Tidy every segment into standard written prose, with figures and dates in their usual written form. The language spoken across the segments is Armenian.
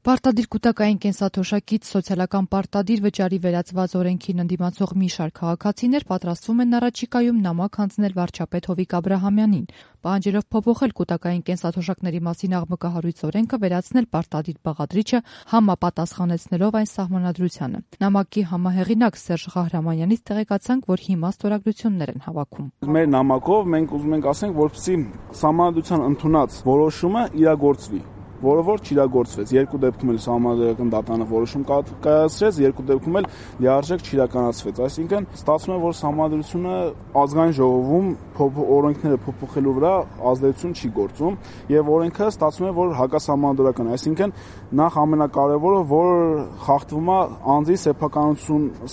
Պարտադիր կուտակային կենսաթոշակից սոցիալական պարտադիր վճարի վերածված օրենքին ընդդիմացող մի շարք քաղաքացիներ պատրաստվում են առաջիկայում նամակ հանձնել վարչապետ Հովիկ Աբրահամյանին, պահանջելով փոփոխել կուտակային կենսաթոշակների մասին աղմկահարույց օրենքը, վերացնել պարտադիր բաղադրիչը, համապատասխանեցնելով այն սահմանադրությանը։ Նամակի համահեղինակ Սերժ Ղահրամանյանից տեղեկացանք, որ հիմա ստորագրություններ են հավաքում։ Մեր նամակով մենք ուզում ենք ասենք, որպեսզի սահմանադրության ընդունած որոշումը իրագործվի, որը որ չիրագործվեց։ Երկու դեպքում էլ սահմանադրական դատարանը որոշում կայացրեց, երկու դեպքում էլ լիարժեք չիրականացվեց։ Այսինքն ստացվում է, որ սահմանադրությունը ազգային ժողովում օրենքները փոփոխելու վրա ազդեցություն չի գործում եւ օրենքը ստացվում է, որ հակասահմանադրական, այսինքն նախ ամենակարևորը, որ խախտվում է անձի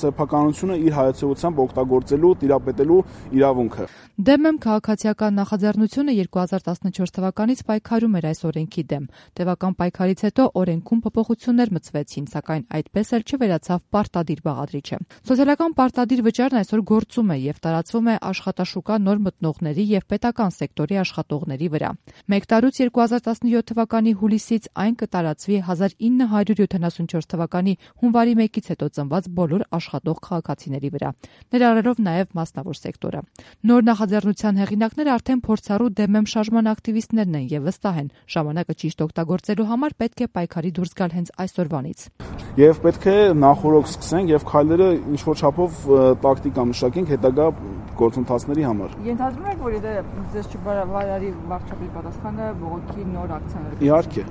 սեփականությունը իր հայացողությամբ օգտագործելու, տիրապետելու իրավունքը։ ԴՄ քաղաքացիական նախաձեռնությունը 2014 թվականից պայքարում էր այս օրենքի դեմ։ Տևական պայքարից հետո օրենքում փոփոխություններ մտցվեցին, սակայն այդպես էլ չվերացավ պարտադիր բաղադրիչը։ Սոցիալական պարտադիր վճարն այսօր գործում է եւ տարածվում է աշխատաշուկա նոր մտնողների եւ պետական սեկտորի աշխատողների վրա։ Մեկ տարուց 2017 թվականի հուլիսից այն կտարածվի 1974 թվականի հունվարի 1-ից հետո ծնված բոլոր աշխատող քաղաքացիների վրա, ներառելով նաեւ մասնավոր սեկտորը։ Նոր նախաձեռնության հեղինակները արդեն փորձառու ԴՄ շարժման ակտիվիստներն են եւ վստահ են, ժամանակը ճիշտ օգտագործելու համար պետք է պայքարի դուրս գալ հենց այսօրվանից։ Եվ պետք է նախօրոք սկսենք եւ քայլերը ինչ-որ չափով տակտիկա մշակենք հետագա գործընթացների համար։ Ենթադրում եք, որ ձեզ չբավարարի վարչապետի պատասխանը բողոքի նոր ակցիաներ։ Իհարկե։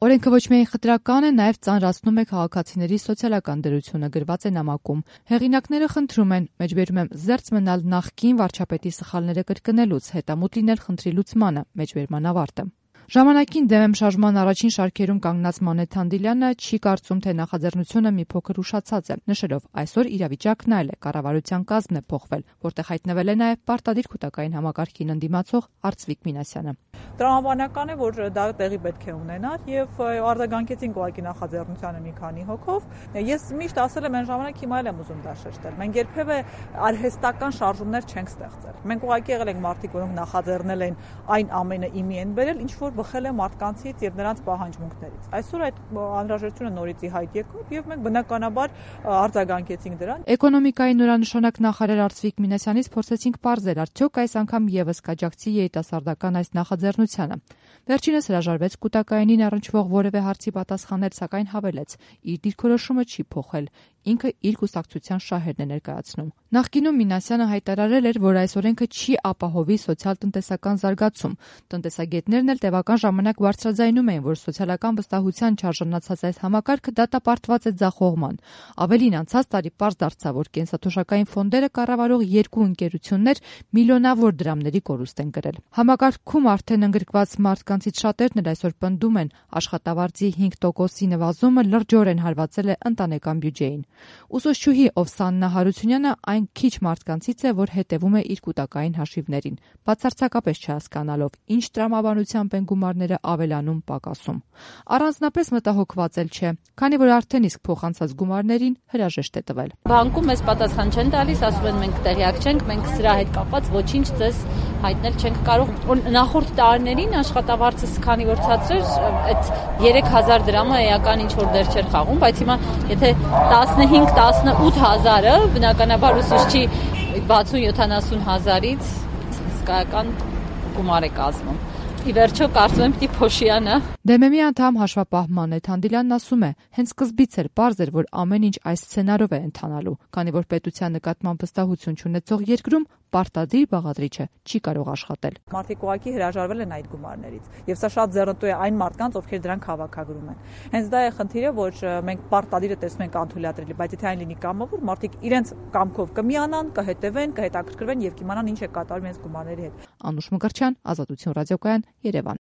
Օրենքը ոչ միայն խտրական է, նաև ծանրացնում է քաղաքացիների սոցիալական դրությունը, գրված է նամակում։ Հեղինակները խնդրում են, մեջբերում եմ, զերծ մնալ նախկին վարչապետի սխալները կրկնելուց, հետամուտ լինել խնդրի լուծմանը, մեջբերման ավարտը։ Ժամանակին ԴՄ շարժման առաջին շարքերում կանգնած Մանե Թանդիլյանը չի կարծում, թե նախաձեռնությունը մի փոքր ուշացած է, նշելով այսօր իրավիճակն այլ է, կառավարության կազմն է փոխվել, որտեղ հայտնվել է նաև պարտադիր կուտակային համակարգին ընդդիմացող Արծվիկ Մինասյանը։ Տրամաբանական է, որ դա տեղի պետք է ունենար եւ արձագանքեցին ուղղակի նախաձեռնությանը մի քանի հոգով։ Ես միշտ ասել եմ այն ժամանակ, հիմա էլ եմ ուզում դա շեշտել։ Մենք երբևէ արհեստական շարժումներ չենք ստեղծել։ Մենք ուղղակի եղել ենք մարդիկ, որոնք նախաձեռնել են այն ամենը իմի են բերել, ինչ որ բխել է մարդկանցից եւ նրանց պահանջմունքներից։ Այսօր այդ անհրաժեշտությունը նորից ի հայտ եկավ եւ մենք բնականաբար արձագանքեցինք դրան։ Էկոնոմիկայի նորանշանակ նախարար Արծվիկ Մինասյանից փորձեցինք պարզել, արդյոք այս անգամ եւս կաջակցի երիտասարդական այս նախաձեռնությանը։ Վերջինս հրաժարվեց կուտակայինին առնչվող որևէ հարցի պատասխանել, սակայն հավելեց, իր դիրքորոշումը չի փոխել, ինքը իր կուսակցության շահերն է ներկայացնում։ Նախկինում Մինասյանը հայտարարել էր, որ այս օրենքը չի ապահովի սոցիալ-տնտեսական զարգացում։ Տնտեսագետներն էլ տևական ժամանակ բարձրաձայնում էին, որ սոցիալական վստահության չարժանացած այս համակարգը դատապարտված է ձախողման։ Ավելին, անցած տարի պարզ դարձավ, որ կենսաթոշակային ֆոնդերը կառավարող երկու ընկերություններ միլիոնավոր դրամների կորուստ են կրել։ Համակարգում արդեն ընդգրկված մարդկանցից շատերն էլ այսօր պնդում են, աշխատավարձի 5%-ի նվազումը լրջորեն հարվածել է ընտանեկան բյուջեին։ Ուսուցչուհի Օվսաննա Հարությունյանը այն քիչ մարդկանցից է, որ հետևում է իր կուտակային հաշիվներին, բացարձակապես չհասկանալով, ինչ տրամաբանությամբ են գումարները ավելանում, պակասում։ Առանձնապես մտահոգված էլ չէ, քանի որ արդեն իսկ փոխանցած գումարներին հրաժեշտ է տվել։ Բանկում մեզ պատասխան չեն տալիս, ասում են մենք տեղյակ չենք, մենք սրա հետ կապված ոչինչ ձեզ հայտնել չենք կարող։ Նախորդ տարիներին աշխատավարձս քանի որ ցածր էր, այդ 3000 դրամը էական ինչ որ դեր չէր խաղում, բայց հիմա եթե 15-18 հազարը բնականաբար ուսուցչի 60-70 հազարից հսկայական գումար է կազմում։ Ի վերջո կարծում եմ պիտի փոշիանա։ ԴՄ-ի անդամ հաշվապահ Մանե Թանդիլյանն ասում է, հենց սկզբից էր պարզ էր, որ ամեն ինչ այս սցենարով է ընթանալու, քանի որ պետության նկատմամբ վստահություն չունեցող երկրում պարտադիր բաղադրիչը չի կարող աշխատել։ Մարդիկ ուղղակի հրաժարվել են այդ գումարներից, եւ սա շատ ձեռնտու է այն մարդկանց, ովքեր դրանք հավաքագրում են։ Հենց դա է խնդիրը, որ մենք պարտադիրը տեսնում ենք անթույլատրելի, բայց եթե այն լինի կամավոր, մարդիկ իրենց կամքով կմիանան, կհետևեն, կհետաքրքրվեն եւ կիմանան ինչ է կատարվում իրենց գումարների հետ։ Անուշ Մկրտչյան, Ազատություն ռադիոկայան, Երևան։